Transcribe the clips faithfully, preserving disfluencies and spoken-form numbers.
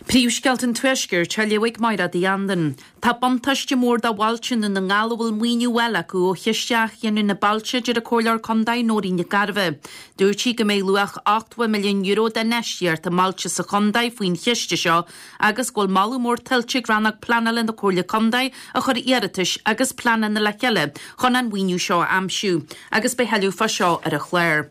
Príomhscéalta an Tuaiscirt á léamh ag Máire Uí Andain. Tá buntáiste mór do bhailte i nDún na nGall a bhfuil maoiniú á fháil acu ó Chiste Athghiniúna na Bailte a deir an Comhairleoir Contae Nóirín Nic Gairbheith. Dúirt sí go mbeidh luach ochtó milliún euro d'infheistíocht i mbailte sa chontae faoin chiste seo agus go bhfuil moladh mór tuillte ag rannóg pleanála na Comhairle Contae a chuir iarratais agus pleananna le chéile chun an maoiniú seo a aimsiú, agus beidh tuilleadh fá seo ar an chlár.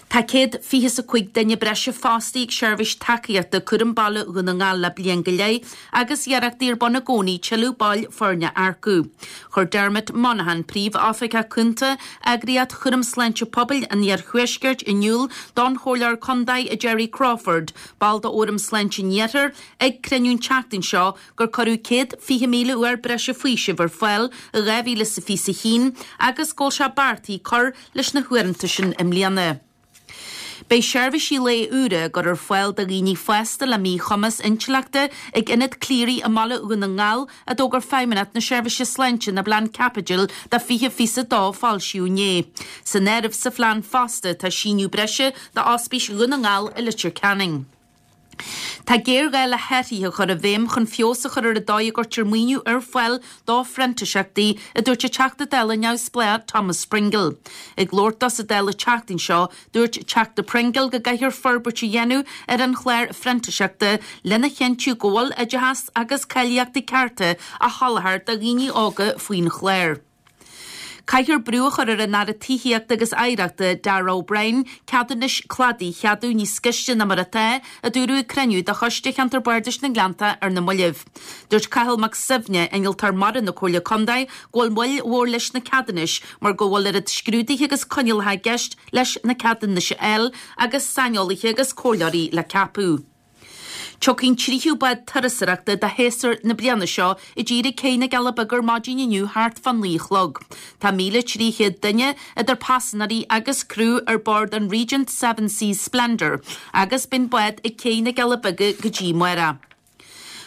Tá céad fiche is a cúig duine breise fostaithe ag seirbhís tacaíochta cúram baile Dhún na nGall le bliain go leith agus iarrachtaí ar bun i gcónaí tuilleadh baill foirne a earcú. Chuir Dermot Monaghan, príomh-oifigeach cúnta eagraíocht chúram sláinte pobail an Iarthuaiscirt in iúl don Chomhairleoir Contae Jerry Crawford, ball d'Fhóram Sláinte an Iarthair, ag cruinniú an tseachtain seo gur cuireadh céad fiche míle uair breise faoisimh ar fáil i dhá mhíle is a fiche a haon agus go bhfuil sé beartaithe cur leis na huaireanta sin i mbliana. Beidh seirbhísí lae úra á gcur ar fáil do dhaoine fásta le míchumas intleachta ag Ionad Cleary i mBaile Dhún na nGall a d'fhógair Feidhmeannacht na Seirbhíse Sláinte ina bplean caipitil do fiche fiche a dó a foilsíodh inné. San áireamh sa phlean fosta tá síneadh breise d'Ospís Dhún na nGall i Leitir Ceanainn. Tá géarghá le hathruithe a chur i bhfeidhm chun feabhas a chur ar an dóigh a gcuirtear maoiniú ar fáil do phrintíseachtaí, a dúirt an Teachta Dála neamhspleách Thomas Pringle. Ag labhairt dó sa Dáil an tseachtain seo, dúirt Teachta Pringle go gcaithfear forbairt a dhéanamh ar an chlár phrintíseachta lena chinntiú go bhfuil oideachas agus cáilíochtaí cearta á sholáthar do dhaoine óga faoin chlár. Caithfear brú a chur ar an Aire Tithíochta agus Oidhreachta Darragh O'Brien ceadúnais cladaigh a cheadú níos gaiste ná mar atá, a dúradh ag cruinniú de Choiste Cheantar Bardais na nGleannta ar na mallaibh. Dúirt Cathal Mac Suibhne, innealtóir mara na Comhairle Contae, go bhfuil moill mhór leis na ceadúnais mar go bhfuil oiread scrúduithe agus coinníollacha i gceist leis na ceadúnais a fháil agus saineolaithe agus comhairleoirí le ceapadh. Tiocfaidh an tríú bád turasóireachta do shéasúr na bliana seo i dtír ag Cé na gCealla Beaga ar maidin inniu thart fá naoi a chlog. Tá míle trí chéad duine idir paisinéirí agus criú ar bord an Regent Seven Seas Splendour agus beidh an bád ag Cé na gCealla Beaga go dtí amárach.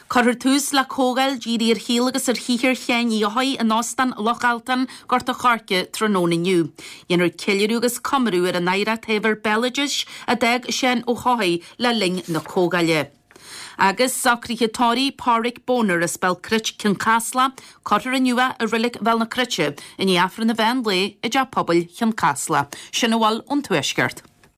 Cuirfear tús le comhdháil dírithe ar shaol agus ar shaothar Sheáin Uí Eochaidh in Óstán Loch Altan, Gort a' Choirce, tráthnóna inniu. Dhéanfar ceiliúradh agus comóradh ar an oidhreacht shaibhir béaloidis a d'fhág Seán Ó hEochaidh le linn na comhdháile. Agus socruithe tórraimh Pádraig Boner as Béal Cruit Cionn Caslach, cuirfear inniu é i Reilig Bhéal na Cruite i ndiaidh Aifreann an mheán lae i dTeach Pobail Chionn Caslach. Sin a bhfuil ón Tuaisceart.